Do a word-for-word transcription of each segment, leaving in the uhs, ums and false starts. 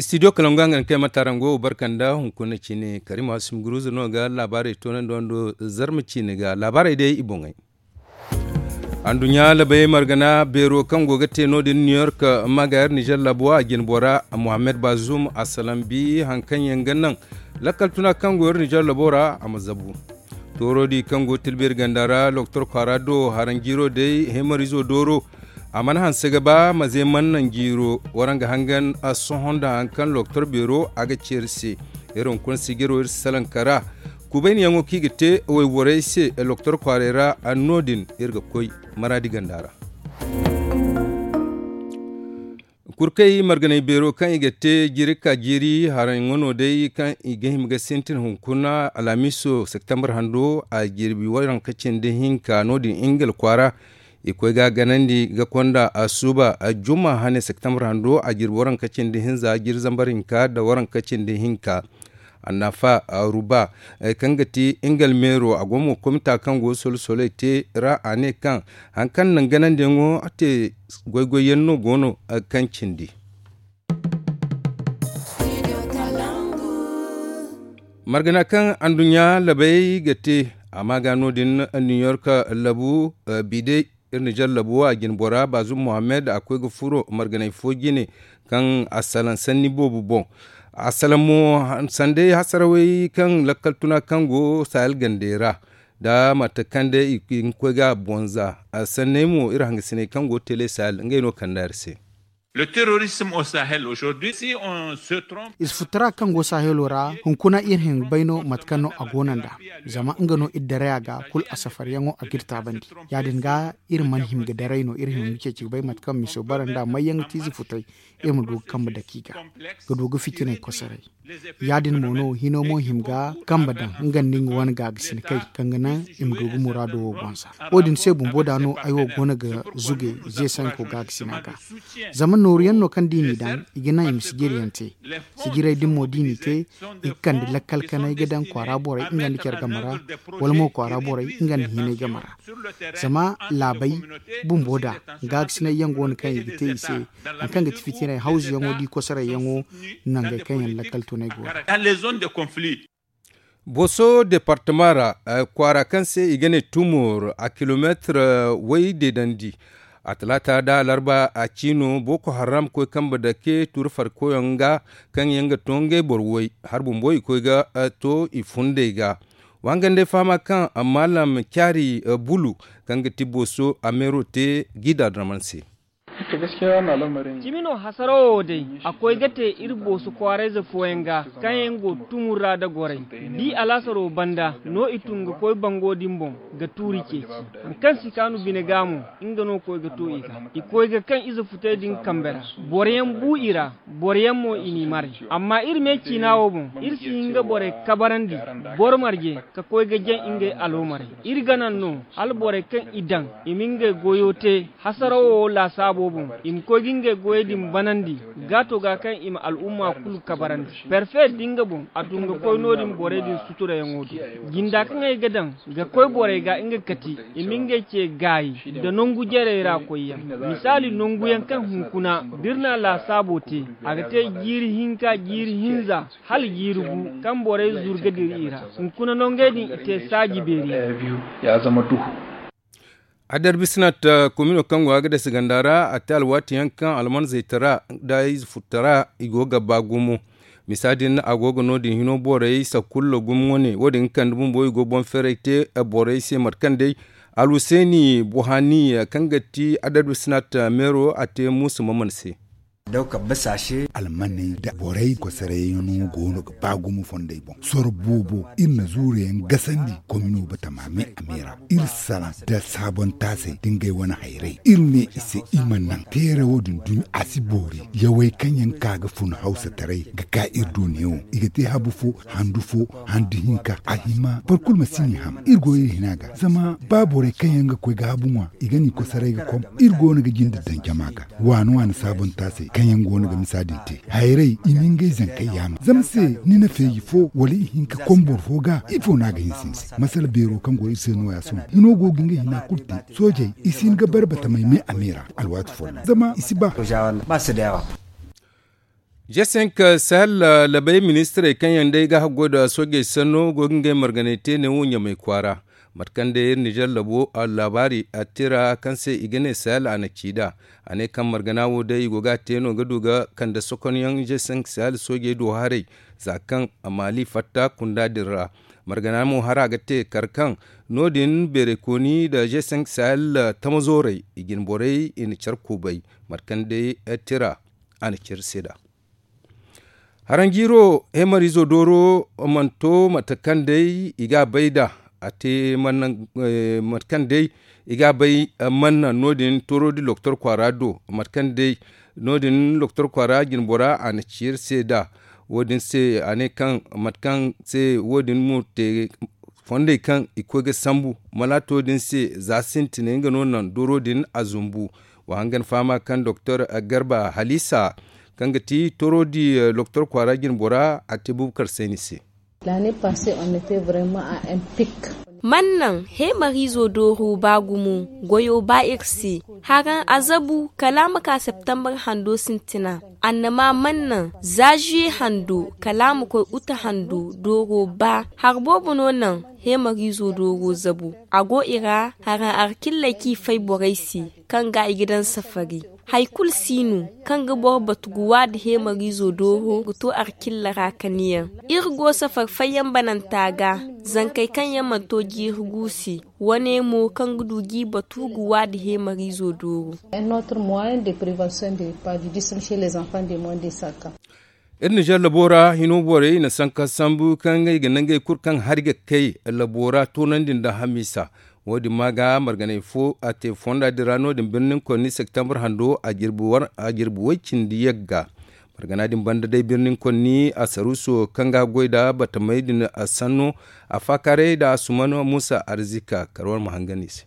Studio kalangu a ga ni kay matarango barka nda hunkuna ciine karima sumguruza no ga laabaarey toonandi wando. Zarma ciine ga laabaarey day i boŋey. Anduɲɲa labey margana beero kaŋ go ga te no- din new york, maga iri nizer labo a jine bora mohammed bazum a salambi hari kaŋ yaŋ ga naŋ lakkal tuna kaŋ go iri nizer labo ra a ma zabu. Toorodi kaŋ go tilbiri ganda ra doktor kwaara do haraŋ jiiro day hemarizo dooro. A mana hanse ga ba maze mana naŋ jiiro waraŋ ga hangan sohõ nda hari kaŋ doktor beero a ga ceeri se. Iri hunkuna sijiro iri si salaŋ kara kubayniyaŋo kaŋ i ga te wayborey se doktor kwaaray ra. No- din iri ga koy maraadi ganda ra. Kurkey marganay beero kaŋ i ga te jiiri ka jiiri haraŋo no day kaŋ i ga hima ga sintin hunkuna alhamiso septembre hando a jirbi waranka cindi hinka no- din ingila kwaara. I koy ga ganandi ga konda a suuba a juma hane septembre hando a jirbi waranka cindi hinza jiiri zambar hinka nda waranka cindi hinka. Annafa ruba kaŋ ga ti ingal meero a go mo komita kaŋ go solsoley te ra a ne kaŋ hari kaŋ naŋ ganandiyaŋo te goy-goy yaŋ no go no kaŋ cindi. Margana kaŋ anduɲɲa labey ga te a ma ga no- din new york labu bide. Iri nizer labu a jine bora bazum mohammed a koy ga furo marganay fo jine kaŋ a salaŋ sanni boobo boŋ. A salaŋ mo sanday hasarawey kaŋ lakkal tuna kaŋ go sahel gandey ra nda mate kaŋ day i ga koy ga a bonza. Sanney mo iri hangasiney kaŋ go tele sahel ngey no kande iri se. Ize futtara kaŋ go sahelo ra hunkuna iri hin ga bay no mate kaŋ no a go no nd'a. Zama nga no iri daray a ga kulu a safaryaŋo a ga iri taabandi. Ya- din ga iri mana hima ga daray no iri hima ga ceeci ga bay mate kaŋ miso bara nd'a mayyaŋ ga te ize futtay. Iri ma du ga kambe dake i ga ga du ga fitinay kosoray. Ya- din mo no hino mo hima ga kambe daŋ nga nda nga wane gaagasinakey kaŋ ga naŋ i ma du ga muraado wo bonza. Wo- din se bumbo da no ay wo go no ga zuge ze sanko gaakasina ga. Zama nooru yaŋ no kaŋ da i n'i daŋ i ga naŋ i ma sijiri yaŋ te. Sijirey din mo da i n'i te i ga kande lakkal kanay ga daŋ kwaara borey nga nda care game ra wala mo kwaara borey nga nda hinay game ra. Zama laabey bumbo da gaakasinay yaŋ go no kaŋ i ga te i se hari kaŋ ga ti fitinay hawzu yaŋo da i kosoray yaŋo nangey kaŋ yaŋ lakkal tunay go no. Booso departama ra kwaara kaŋ se i ga ne tumor a kilomeetir way deedandi. A talaata da alarba a ciino boko haram koy kambe dake tuuri farkoyaŋ ga kaŋ yaŋ ga to ngey boro way har bumbo i koy ga to i fundey ga. Wangandey fahama kaŋ maalam caari bulu kaŋ ga ti booso a meero te gida draman se. Cimi no hasarawo wo day a koy ga te iri booso kwaarayze fooyaŋ ga kaŋ yaŋ go tumur ra da goray. Di alaasaro banda no i tun ga koy bango din boŋ ga tuuri ceeci. Hari kaŋ si kaanu bine ga mo nga no koy ga to i ga i koy ga kaŋ ize futay din kambe ra. Boroyaŋ bu i ra boroyaŋ mo i n'i maray. Amma iri me ciina wo boŋ iri si hin ga borey kabarandi boro marje ka koy ga jaŋ ngey aloomaray. Iri ga naŋ no hala borey kaŋ i daŋ i ma ngey goyo te hasarawo wo laasaabo boŋ i ma koy ga ngey goyey din banandi gaato ga kaŋ i ma al'umma kulu kabarandi. Perfe da nga boŋ a tun ga koy no- din borey din suturayaŋo do jinda kaŋ ay ga daŋ ga koy borey ga nga kati i ma ngey ce gaayi nda nangu jarey ra koyyaŋ. Misaali nanguyaŋ kaŋ hunkuna da iri na laasaabo te a ga te jiiri hinka jiiri hinza hala jiiri gu kaŋ borey zuru ga dira i ra. Hunkuna nangey din i te saaji beeri yaŋ. Adarbisinat komino kaŋ go a ga dasa ganda ra a te alwaati yaŋ kaŋ almanzey tara nda ize futtara i go ga ba gumo. Misa din a go ga no- din hino borey sakulla gumo wane wo- din ga kande bumbo i go boŋ ferey te borey se mate kaŋ day alhuseeni buhani kaŋ ga ti adarbisinat meero a te muusa maman se. Almaney nda borey kosoray yaŋ no go no ga ba gumo fondey boŋ soro boobo iri na zuuru yaŋ gasandi komino batama me a me ra iri salaŋ nda saabontaasey nda ngey wane hayray iri ne i se i ma naŋ teera wo- din dumi a si boori yawey kaŋ yaŋ ka ga fun hawsataray ga ka iri do neewo i ga te habu fo handu fo handu hinka a hima boro kulu ma si n'i ham iri go iri hina ga zama ba borey kaŋ yaŋ ga koy ga habu ŋwa i ga n'i kosoray ga kom iri go no ga jinde daŋ jama ga waani waani saabontaasey kaŋ yaŋ go no ga misa din te hayray i ma ngey zankey yaama zama se ni na feeji fo wala i hin ka kom boro fo ga ifo no a ga hinse ni se masala beero kaŋ go iri se nooya sohõ hino go ga ngey hina kulu te soojey i si hin ga bare batamey me a me ra alwaati folloŋ zama i si ba. G cinq sahel labey ministirey kaŋ yaŋ day ga haggoy nda soojey sanno go ga ngey marganey te neewo ɲamey kwaara. Mate kaŋ day iri nizer labo laabaari a tira kaŋ se i ga ne sahel a na ci nd'a. A ne kaŋ margana wo day i go ga a te no ga du ga kande sokonyaŋ g cinq sahel soojey do haray, za kaŋ maali fatta kunda din ra. Margana mo hara ga te kar kaŋ no- din beeraykooni nda g cinq sahel tamazooray i jine borey i na care kubay. Mate kaŋ day tira a na care se nd'a. Haranjiiro heemariizo dooro mana to mate kaŋ day i ga a bay nd'a. A te mate kaŋ day i ga a bay mana no- din tooro di loktor kwaara do. Mate kaŋ day no- din loktor kwaara jinbora a na ci iri se nd'a. Wo- din se a ne kaŋ mate kaŋ se wo- din mo te fondey kaŋ i koy ga sambu malaato din se za sintinay nga no naŋ dooro din a zumbu. Wa hangan fahama kaŋ doktor garba haliisa kaŋ ga ti toro di loktor kwaara jinbora a te bubakar sayni se. Mana naŋ heemariizo dooro ba gumo goyo ba iri se. Haraŋ a zabu kala a ma ka septembar hando sintina. Annama mana naŋ za zuye hando kala a ma koy uta hando dooro ba. Hari boobo no naŋ heemariizo dooro zabu. A go i ra haraŋ arkilley kaŋ i fay borey se kaŋ ga i ga daŋ safari. Hari kulu si no kaŋ ga boro batu ga waadi heemariizo dooro ga to arkilla ra kaniyaŋ. Iri go safari fayyaŋ bananta ga zankey kaŋ yaŋ mana to jiiri gu se. Wane mo kaŋ ga du g'i batu ga waadi heemariizo dooro. Iri nizer labo ra hino borey i na sanka sambu kaŋ ngey ga nangey kulu kaŋ hari ga kay labo ra toonandi nda hamiisa. Wo- din ma ga marganay fo a te fonda din ra no- din birnin konni septembar hando a jirbi way cindi yagga. Margana din banda day birnin konni a saruuso kaŋ ga goy nda batamey din a sanno a faakaaray nda a suman muusa arzika kar war ma hangan i se.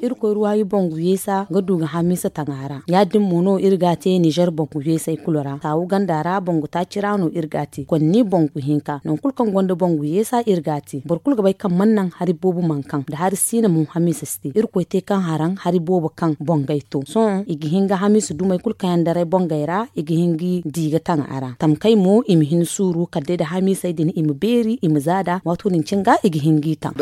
Iri koy ruwaayi bangu yeesa ga du ga hamiisa taŋ a ra. Ya- din mo no iri ga a te nizer bangu yeesey kulu ra saawu ganda ra bangu taaci ra no iri ga a te konni bangu hinka nangu kulu kaŋ gonda bangu yeesa iri ga a te boro kulu ga bay kaŋ mana naŋ hari boobo mana kaŋ nda hari siina mo hamiisa si te iri koy te kaŋ haraŋ hari boobo kaŋ bangey to sohõ i ga hin ga hamiisa dumey kulu kaŋ yaŋ daray bangey ra i ga hin ga di ga taŋ a ra tamkay mo i ma hin suuru kala day nda hamiisey din i ma beeri i ma za nd'a waato din cine ga i ga hin g'i taŋ.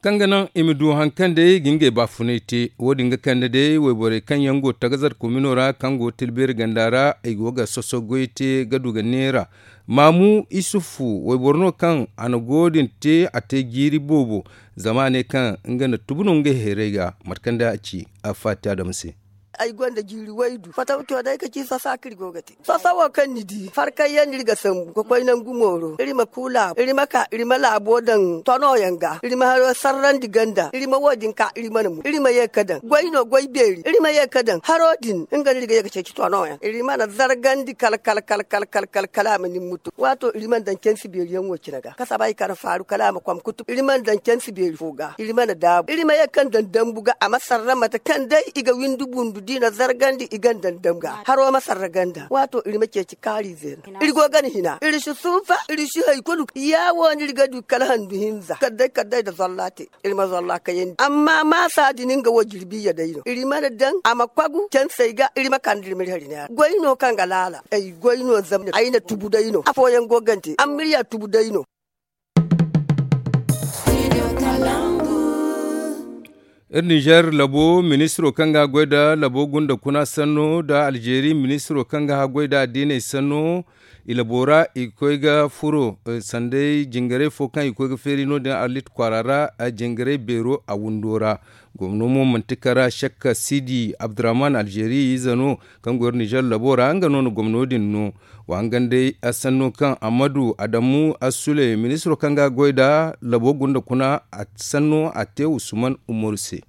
Kaŋ ga naŋ i ma du hari kaŋ day ga ngey baafunay te. Wo- din ga kande day wayborey kaŋ yaŋ go tagazar komino ra kaŋ go tilbeeri ganda ra i go ga soso goy te ga du ga neera. Maamu isufu wayboro no kaŋ a na go din te a te jiiri boobo. Zama a ne kaŋ nga na tubu no ngey hayray ga mate kaŋ day a ci a faati adama se. Ay gonda jiiri waydu fataw to day ka ci sosa kaŋ iri go ga te sosa wo kaŋ ni di farkay yaŋ no iri ga sambu ga koy nangu mooro iri ma ku laabu iri ma ka iri ma laabo daŋ tono yaŋ ga iri ma haro sarrandi ganda iri ma wo- din ka iri mana mu iri ma ye ga daŋ goy no goy beeri iri ma ye ga daŋ haro din nga no iri ga ye ga ceeci tono yaŋ iri mana zargandi kala kala kala kala kala kala a ma ni mutu waato iri mana daŋ cansi beeri yaŋ wo cine ga kasaba i kana faaru kala a ma kom kutu iri mana daŋ cansi beeri fo ga iri mana daabu iri ma ye kaŋ daŋ dambu ga a ma sarra mate kaŋ day i ga windi bundu da i na zargandi i ganda nda nga haro ma sarra ganda waato iri ma ceeci kaari zeena iri go gana hina iri si suufa iri si hari kulu ya wo no iri ga du kala handu hinza kala day kala day nda zolla te iri ma zolla kayandi amma maasa din nga wo jirbi ya day no iri mana daŋ a ma kwagu cansey ga iri ma kande iri ma iri hari neera goy no kaŋ ga laala ay goy no zama ay na tubu day no afooyaŋ go gante amma iri ya tubu day no. Iri nizer labo ministiro kaŋ ga a goy nda labo gunda kuna sanno nda alzeeri ministiro kaŋ ga a goy nda addiiney sanno i labo ra i ga koy ga furo sanday jingaray fo kaŋ i ga koy ga feeri no- din arlit kwaara ra jingaray beero a windo ra. Gomno mo manti kara sekka siidi abdurrahman alzeeri ize no kaŋ go iri nizer labo ra nga no na gomno din no. Wa hangan day a sanno kaŋ ammadu adamu assule ministiro kaŋ ga a goy nda labo gunda kuna a sanno a te usman umaru se.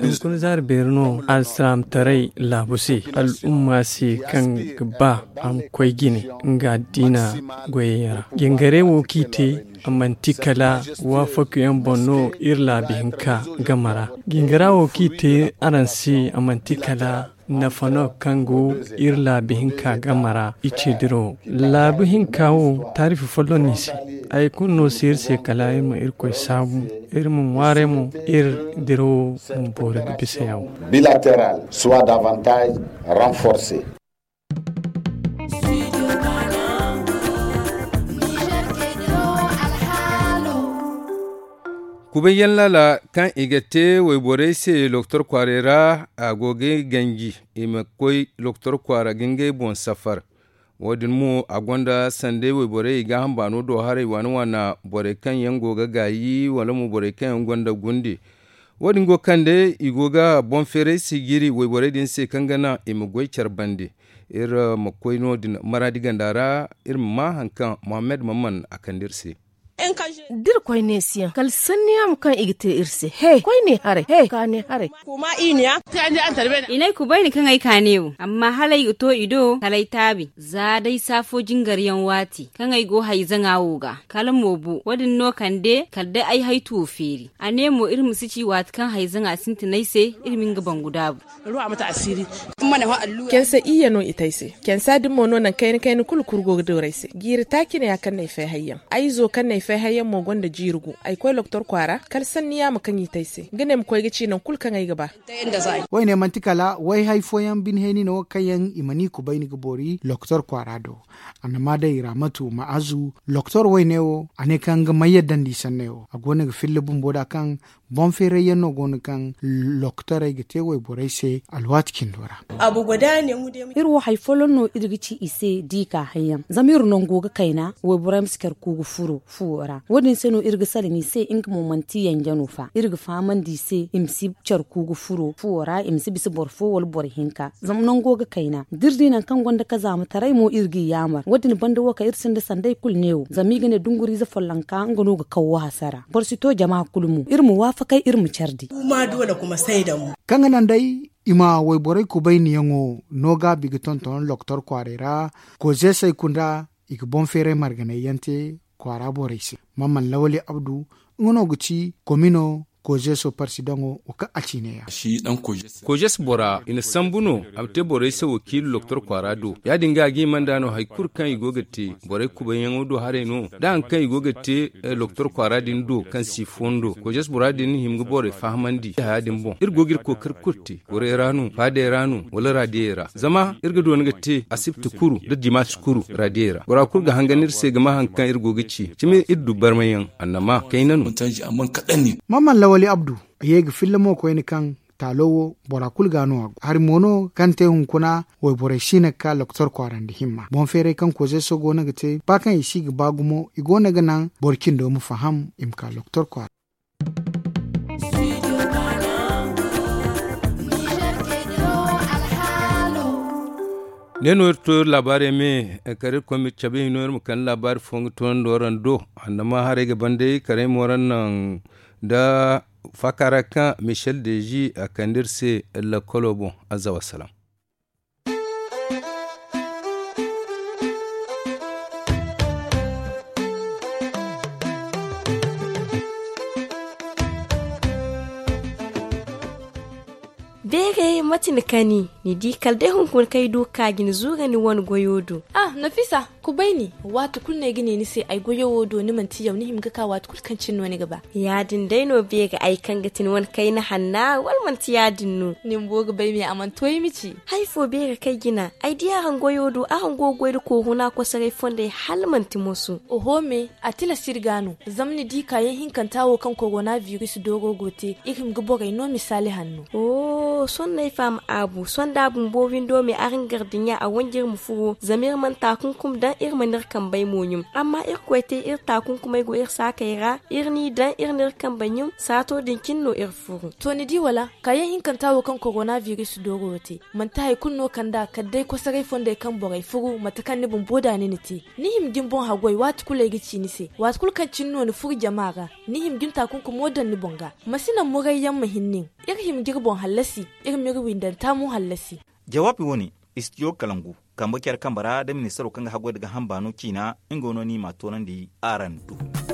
Hunkuna zaari beeri no alsilaamataray laabu se al'umma se kaŋ ga ba a ma koy jine nga addiina goyey ra. Jingaray wo kaŋ i te a manti kala waafakuyaŋ boŋ no iri laabu hinka game ra. Jingara wo kaŋ i te araŋ se a manti kala nafa no kaŋ go iri laabu hinka game ra i ce dirawo. Laabu hinka wo taarifi folloŋ no i se. Hari kulu no si iri se kala iri ma irkoy saabu, iri ma ŋwaaray mo, iri dirawo ma boori ga bisa yawo. Bilateral soit davantage renforcé. Kubayyaŋ laala kaŋ i ga te wayborey se loktor kwaaray ra, a go ga ganji i ma koy loktor kwaara ga ngey boŋ safar. Wo- din mo a gonda sanda wayborey i ga hambaano do haray waana waana, borey kaŋ yaŋ go ga gaayi wala mo borey kaŋ yaŋ gonda gunde. Wo- din go kaŋ day i go ga boŋ feeray sijiri wayborey din se kaŋ ga naŋ i ma goy care bande. Iri ma koy no- din maraadi ganda ra, iri ma maa hari kaŋ mohammed mamman a kande iri se. Da iri koyne si yaŋ kala sanni yaamo kaŋ i ga te iri se he koyne haray he kaane haray. I ne ay kubayni kaŋ ay kaane wo amma hala ay ga to i do kala ay taabi za day saafo jingar yaŋ waati kaŋ ay go hayzaŋa wo ga kala mo bo wo- din no kande kala day ay haytuwo feeri a ne mo iri ma si ci waati kaŋ hayzaŋa sintin ay se iri ma nga bangu daabu. Kensa iyye no i te ay se. Kensa din mo no nangu kayna kayna kulu kuru go ga dooru ay se jiiri taaci ne ya kaŋ no ay fay hayyaŋ ay izo kaŋ no ay fay hayyaŋ mo gonda jiiri gu ay koy loktor kwaara kala sanni yaama kaŋ i te ay se nga no ay ma koy ga ci nangu kulu kaŋ ay ga ba. Wayne manti kala wayhay fooyaŋ bine hayni no kaŋ yaŋ i mana i kubayni ga boori loktor kwaara do. Annama day raamatu ma'azu loktor wayne wo a ne kaŋ nga may yaddandi sanney wo a go no ga filla bumbo da kaŋ boŋ feerayyaŋ no go no kaŋ loktorey ga te wayborey se alwaati cindo ra. Iri wo hari folloŋ no iri ga ci i se da i ka hayyaŋ zama iri nango ga kayna wayborey ma si care ku ga furo fuwo ra wo- din se no iri ga salaŋ i se nga mo manti yanje no fa iri ga fahamandi i se i ma si care ku ga furo fuwo ra i ma si bisa boro fo wala boro hinka zama nango ga kayna da iri di nangu kaŋ gonda kazaamataray mo iri g'i yaamar wo- din banda wo kaŋ iri sinda sanday kulu ne wo zama i ga ne dunguriize follonka nga no ga kaw wo hasara boro si to jama kulu mo iri ma waafakay iri ma care di. Kaŋ ga naŋ day i ma wayborey kubayniyaŋo no gaabi ga tonton loktor kwaaray ra kozeesey kunda i ga boŋ feeray marganayyaŋ te kwaara borey se. Mamman lawali abdu nga no ga ci komino kozeeso parsidaŋo wo kaŋ a ci ne- ya. Kojes bora i na sambu no a ma te borey se wakiilu loktor kwaara do ya- din ga a ga hima nd'a no hari kulu kaŋ i go ga te borey kubayyaŋo do haray no da hari kaŋ i go ga te loktor kwaara din do kaŋ si fondo kojes bora din hima ga borey fahamandi haya din boŋ iri go ga iri kookari kulu te gorey ra no faadey ra no wala raadiyey ra zama iri ga doona ga te asibti kulu nda dimaasi kulu raadiyey ra bora kulu ga hangan iri se ga ma hari kaŋ iri go ga ci cimi iri du barmayaŋ annama kayna no. Mamman lawali abdu a ye ga filla mo koyne kaŋ taalo wo bora kulu ga no a go hari mo no kaŋ te hunkuna wayborey si no ga ka loktor kwaarandi himma boŋ feeray kaŋ kozeeso go no ga te ba kaŋ i si ga ba gumo i go no ga naŋ boro cindo ma faham i ma ka loktor kwaara. Ne no iri to iri laabaarey me kala iri koy ma cabe hino iri ma kande laabaari fo nga toonandi waraŋ do annama haray ga ban day kala ay ma waraŋ naŋ nda faaka ra kaŋ michel dezi a kande iri se lakkolo boŋ. Azza wassalam. Beeray mate ni kani ni di kala day hunkuna kaŋ ay du ka ga ni zuura ni wane goyo do. Ah nafisa, kubayni waati kulu no ay ga ne ni se ay goyo wo do ni manti yaw ni hima ga ka waati kulu kaŋ cine no ni ga ba. Ya- din day no beeray ay kaŋ ga ti ni wane kayna hanna wala manti ya- din no? Ni bumbo ga bay me a mana to ay ma ci. Hari fo beeray kaŋ ay jina ay di araŋ goyo do araŋ go ga goy nda kooru no a kosoray fondey hala manti moso. Oho me, a tilas iri ga no zama ni di kaayaŋ hinkanta wo kaŋ korona biris dooro go te iri hima ga borey no misaali hanno. Sohõ no ay faham aabu sohõ da a bumbo windo me araŋ gar dinya a wanji iri ma furo zama iri mana taakunkum daŋ iri mana iri kambey mo ɲum. Amma irkoy te iri taakunkumey go iri saakey ra iri n'i daŋ iri n'iri kambey ɲum saato din cine no iri furo. To ni di wala kaayaŋ hinkanta wo kaŋ korona biris dooro wo te manti hari kulu no kand'a kala day kosoray fondey kaŋ borey furu mate kaŋ ni bumbo da ni na te. Ni hima ga ni boŋ haggoy waati kulu ay ga ci ni se waati kulu kaŋ cine no ni furu jama ra ni hima ga ni taakunkumo daŋ ni boŋ ga. Ma si naŋ murayyaŋ ma hin nin iri hima ga iri boŋ hallasi iri m'iri windanta mo hallasi. Jawaabi wo-ne, istijo kalangu kambe care kambe ra nda ministaro kaŋ ga haggoy nda gaaham baano ciina nga no ni m'a toonandi araŋ do.